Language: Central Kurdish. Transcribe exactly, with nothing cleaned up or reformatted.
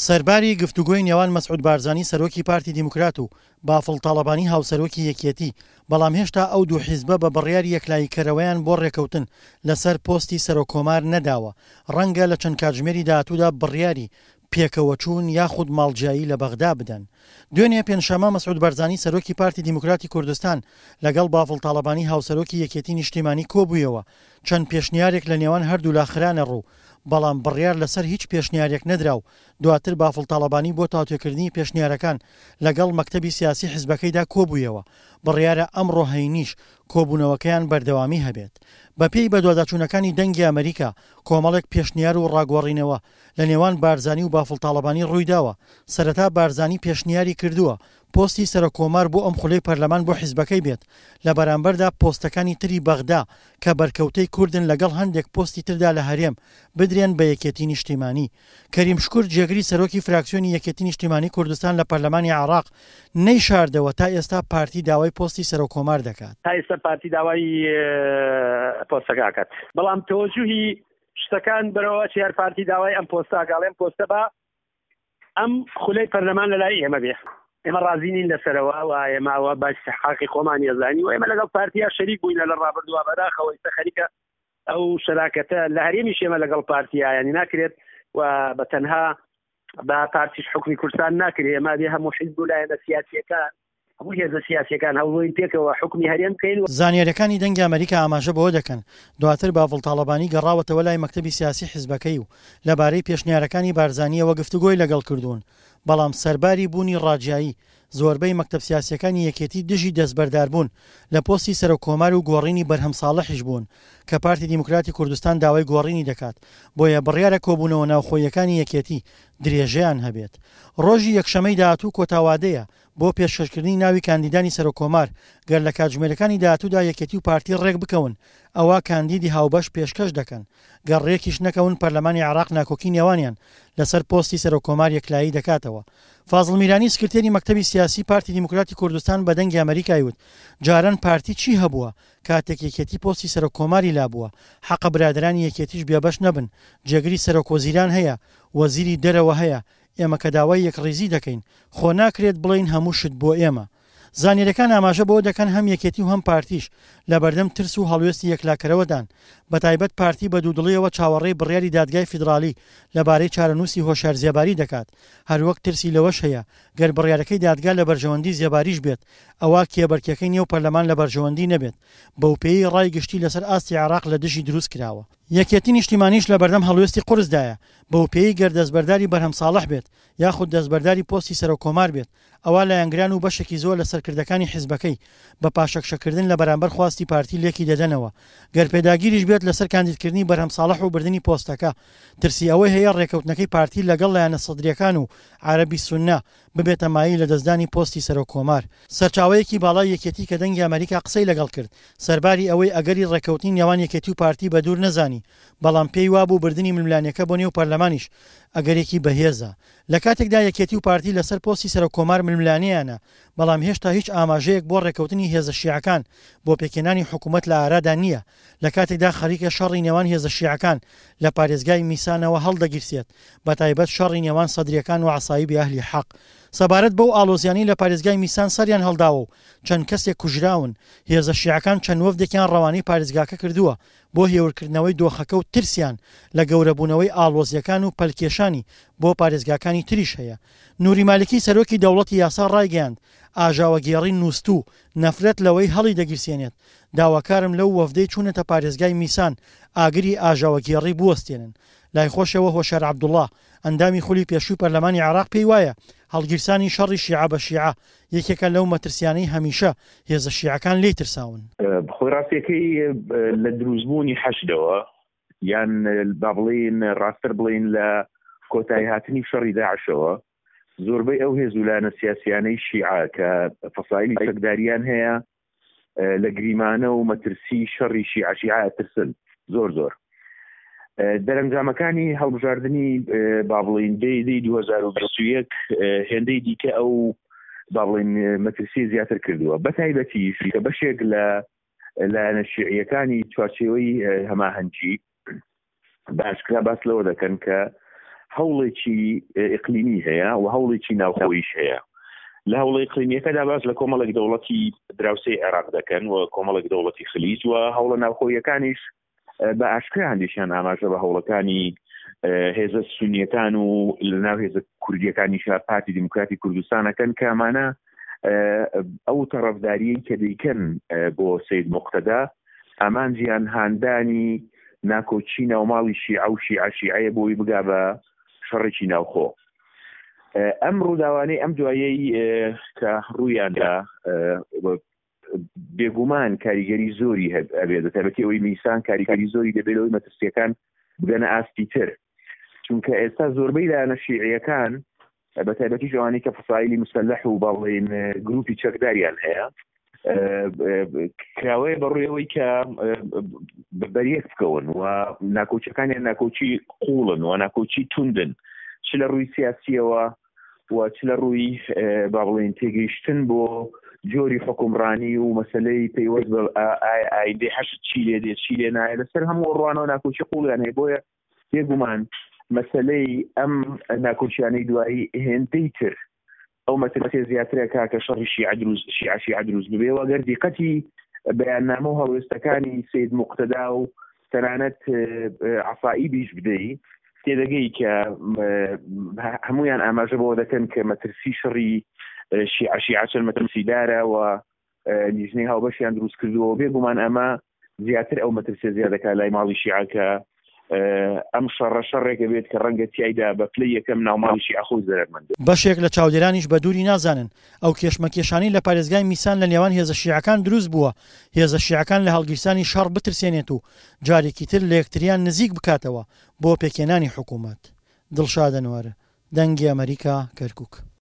سەرباری گفتوگۆی نێوان مەسعود بارزانی سەرۆکی پارتی دیموکرات و بافڵ تاڵەبانی هاوسەرۆکی یەکێتی، بەڵام هێشتا ئەو دوو حیزبە بە بڕیاری یەکلاییکەرەوەیان بۆ رێکەوتن لەسەر پۆستی سەرۆککۆمار نەداوە، رەنگە لە چەند کاتژمێری داهاتوودا بڕیاری پێکەوەچوون یاخود ماڵجیایی لە بەغدا بدەن. دوێنێ پێنجشەممە مەسعود بارزانی سەرۆکی پارتی دیموکراتی کوردستان لەگەڵ بافڵ تاڵەبانی هاوسەرۆکی یەکێتی نیشتیمانی کۆبوویەوە، چەند پێشنیارێک لە نێوان هەردوولا خرانە ڕوو، بەڵام بڕیار لەسەر هیچ پێشنیارێک نەدرا و دواتر بافڵ تاڵەبانی بۆ تاوتوێکردنی پێشنیارەکان لەگەڵ مەکتەبی سیاسی حزبەکەیدا کۆبوویەوە، بڕیارە ئەمڕۆ هەینیش کۆبوونەوەکەیان بەردەوامی هەبێت. بەپێی بەدواداچوونەکانی دەنگی ئەمریکا، کۆمەڵێک پێشنیار و ڕاگۆڕینەوە لە نێوان بارزانی و بافڵ تاڵەبانی ڕوویداوە، سەرەتا بارزانی پێشنیاری کردووە پۆستی سەرۆککۆمار بۆ ئەم خولەی پەرلەمان بۆ حیزبەکەی بێت، لە بەرامبەردا پۆستەکانی تری بەغدا کە بەرکەوتەی کوردن لەگەڵ هەندێک پۆستی تردا لە هەرێم بدرێن بە یەکێتی نیشتیمانی. کەریم شکور جێگری سەرۆکی فراکسیۆنی یەکێتی نیشتیمانی کوردستان لە پەرلەمانی عێراق نەیشاردەوە تا ئێستا پارتی داوای پۆستی سەرۆککۆمار دەکات. تا ئێستا پارتی داوای پۆستەکە ئەکات، بەڵام تەوەجوهی شتەکان بەرەوە چیار پارتی داوای ئەم پۆستە ئەکا، پۆستە بە ئەم خولەی پەرلەمان لەلای ئێمە بێ. ئێمە ڕازی نین لەسەرەوە و ئێمە ئەوە بە استحقاقی خۆمان یەزانی و ئێمە لەگەڵ پارتیا شەریک بووینە لە ڕابردووە، بەداخەوە ئێستا خەریکە ئەو شەراکەتە لە هەرێمیش ئێمە لەگەڵ پارتیا یعنی ناکرێت و بە تەنها بە پارتیش حکومی کوردستان ناکرێت. ئێمە بێ هەموو حیزب و لایەنە سیاسیەکان هەموو هێزە سیاسیەکان هەوڵین پێکەوە حکومی هەرێم بکەین. زانیاریەکانی دەنگی ئەمریکا ئاماژە بەوە دەکەن دواتر بافڵ تاڵەبانی گەڕاوەتەوە لای مەکتەبی سیاسی حیزبەکەی و لەبارەی پێشنیارەکانی بارزانیەوە گفتوگۆی لەگەڵ کردوون، بەڵام سەرباری بوونی ڕاجیایی زۆربەی مەکتەب سیاسیەکانی یەکێتی دژی دەستبەرداربوون لە پۆستی سەرۆککۆمار و گۆڕینی بەرهەم ساڵحیش بوون کە پارتی دیموکراتی کوردستان داوای گۆڕینی دەکات، بۆیە بڕیارە کۆبوونەوە ناوخۆیەکانی یەکێتی درێژەیان هەبێت. ڕۆژی یەکشەمەی داهاتوو کۆتاوادەیە بۆ پێشکەشکردنی ناوی کاندیدانی سەرۆککۆمار، گەر لە کاتژمێرەکانی داهاتوودا یەکێتی و پارتی ڕێک بکەون ئەوە کاندیدی هاوبەش پێشکەش دەکەن، گەر ڕێکیش نەکەون پەرلەمانی عێراق ناکۆکی نێوانیان لەسەر پۆستی سەرۆککۆمار یەکلایی دەکاتەوە. فازڵ میرانی سکرتێری مەکتەبی سیاسی پارتی دیموکراتی کوردستان بە دەنگی ئەمریکای وت جاران پارتی چی هەبووە کاتێک یەکێتی پۆستی سەرۆککۆماری لابووە، حەقە برادرانی یەکێتیش بێبەش نەبن، جێگری سەرۆکوەزیران هەیە، وەزیری دەرەوە هەیە، ئێمە کە داوای یەکڕیزی دەکەین خۆ ناکرێت بڵێین هەموو شت بۆ ئێمە. زانیاریەکان ئاماژە بەوە دەکەن هەم یەکێتی و هەم پارتیش لەبەردەم ترس و هەڵوێستی یەکلاکەرەوەدان، بەتایبەت پارتی بە دوودڵیەوە چاوەڕێی بڕیاری دادگای فیدراڵی لەبارەی چارەنووسی هۆشیار زێباری دەکات، هەروەک ترسی لەوەش هەیە گەر بڕیارەکەی دادگا لە بەرژەوەندی زێباریش بێت ئەوە کێبەرکێکەی نێو پەرلەمان لە بەرژەوەندی نەبێت، بەوپێیەی ڕای گشتی لەسەر ئاستی عێراق لە دژی دروست کراوە. یەکێتی نیشتیمانیش لەبەردەم هەڵوێستی قورسدایە، بەوپێیەی گەر دەستبەرداری بەرهەم ساڵح بێت یاخود دەستبەرداری پۆستی سەرۆککۆمار بێت ئەوا لایەنگران و بەشێکی زۆر لە سەرکردەکانی حیزبەکەی بە پاشەکشەکردن لە بەرامبەر خواستی پارتی لێکی دەدەنەوە، گەر پێداگیریش بێت لەسەر کاندیدکردنی بەرهەم ساڵح و بردنی پۆستەکە ترسی ئەوەی هەیە ڕێکەوتنەکەی پارتی لەگەڵ لایەنە سەدریەکان و عەرەبی سوننە ببێتە مایەی لەدەستدانی پۆستی سەرۆککۆمار. سەرچاوەیەکی باڵای یەکێتی کە دەنگی ئەمریکا قسەی لەگەڵ کرد سەرباری ئەوەی ئەگەری ڕێککەوتنی نێوان یەکێتی و پارتی بە دوور نەزانی، بەڵام پێی وابوو بردنی ململانێکە بۆ نێو پەرلەمانیش ئەگەرێکی بەهێزە. لە کاتێکدا یەکێتی و پارتی لەسەر پۆستی سەرۆککۆمار ململانێیانە، بەڵام هێشتا هیچ ئاماژەیەک بۆ ڕێککەوتنی هێزە شیعەکان بۆ پێکهێنانی حکوومەت لە ئارادا نییە، لە کاتێکدا خەریکە شەڕی نێوان هێزە شیعەکان لە پارێزگای میسانەوە هەڵدەگیرسێت، بەتایبەت شەڕی نێوان سەدریەکان و عەسایبی ئەهلی حەق. سەبارەت بەو ئاڵۆزیانەی لە پارێزگای میسان سەریان هەڵداوە و چەند کەسێک کوژراون، هێزە شیعەکان چەند وەفدێکیان ڕەوانەی پارێزگاکە کردووە بۆ هێورکردنەوەی دۆخەکە و ترسیان لە گەورەبوونەوەی ئاڵۆزیەکان و پەلکێشانی بۆ پارێزگاکانی تریش هەیە. نوری مالکی سەرۆکی دەوڵەتی یاسا ڕایگەیاند ئاژاوەگێڕی نووستوو نەفرەت لەوەی هەڵی دەگیرسێنێت، داواکارم لەو وەفدەی چوونەتە پارێزگای میسان ئاگری ئاژاوەگێڕی بوەستێنن. لای خۆشەوە هۆشیار عەبدوڵڵا ئەندامی خولی پێشووی پەرلەمانی عێراق پێی وایە هەڵگیرسانی شەڕی شیعە بە شیعە یەکێکە لەو مەترسیانەی هەمیشە هێزە شیعەکان لێی ترساون. خۆی ڕاستیەکەی لە دروستبوونی حەشدەوە یان با بڵێین ڕاستتر بڵێین لە کۆتایی هاتنی شەڕی داعشەوە زۆربەی ئەو هێز و لایەنە سیاسیانەی شیعە کە فەسایلی چەکداریان هەیە لە گریمانە و مەترسی شەڕی شیعە شیعە ئەترسن زۆر زۆر. دەرەنجامەکانی هەڵبژاردنی با بڵێین دەی دوو هەزار و بیست و یەک هێندەی دیکە ئەو با بڵێین مەترسی زیاتر کردووە، بەتایبەتیش کە بەشێک لە لایەنە شیعیەکانی چوارچێوەی هەماهەنگی باشکرا باس لەوە دەکەن کە هەوڵێکی ئیقلیمی هەیە و هەوڵێکی ناوخۆیش هەیە. لە هەوڵە ئیقلیمیەکەدا باس لە کۆمەڵێک دەوڵەتی دراوسێی عێراق دەکەن و کۆمەڵێک دەوڵەتی خلیج و هەوڵە ناوخۆیەکانیش بە ئاشکرا هەندێکیان ئاماژە بە هەوڵەکانی هێزە سونیەکان و لەناو هێزە کوردیەکانیشا پارتی دیموکراتی کوردستانەکەن کە ئەمانە ئەو تەڕەفداریەی کە دەیکەن بۆ سید مقتەدا ئامانجیان هاندانی ناکۆکی ناوماڵی شیعە و شیعە شیعەیە بۆی بگا بە شەڕێکی ناوخۆ. ئەم ڕووداوانەی ئەم دوایەی کە ڕوویاندا بێگومان کاریگەری زۆری هەبێت، بە تایبەتی ئەوەی میسان کاریگەری زۆری دەبێت لەوەی مەترسیەکان بگەنە ئاستی تر، چونکە ئێستا زۆربەی لایەنە شیعیەکان بە تایبەتیش ئەوانەی کە فەسایلی مسەلح و باڵێن گروپی چەکداریان هەیە کراوەیە بەڕووی ئەوەی کە بەریەک بکەون و ناکۆچەکانیان ناکۆچی قوڵن و ناکۆچی توندن، چ لە ڕووی سیاسیەوە و چ لە ڕووی با بڵێین تێگەیشتن بۆ جۆری حکومڕانی و مەسلەی پەیوەست بە ئایندەی حەشد چی لێ دێ چی لێ نایە، لەسەر هەموو ڕوانەوە ناکۆکی قوڵیان هەیە. بۆیە بێگومان مەسلەی ئەم ناکۆکیانەی دوایی هێندەی تر ئەو مەترسیە زیاترە کا کە شەڕی شیعە دروست شیعە شیعە دروست ببێ و ئەگەر دیقەتی بەیاننامە و هەڵوێستەکانی سید مقتەدا و تەنانەت عەسائیبیش بدەی تێدەگەی کە هەمویان ئاماژە بەوە دەکەن کە مەترسی شەڕی شیعە شیعە چەند مەترسیدارە و لیژنەی هاوبەشیان دروست کردووە. بێگومان ئەمە زیاتر ئەو مەترسیە زیاد دەکات لای ماڵی شیعە کە ئەم شەڕە شەڕێکە بێت کە ڕەنگە تیایدا بە پلەی یەکەم ناوماڵی شیعە خۆی زەرەرمەند بێت. بەشێک لە چاودێرانیش بە دووری نازانن ئەو کێشمەکێشانەی لە پارێزگای میسان لە نێوان هێزە شیعەکان دروست بووە، هێزە شیعەکان لە هەڵگیرسانی شەڕ بترسێنێت و جارێکی تر لە یەکتریان نزیک بکاتەوە بۆ پێکهێنانی حکوومەت. دڵشاد ئەنوەر، دەنگی ئەمەریکا، کەرکووک.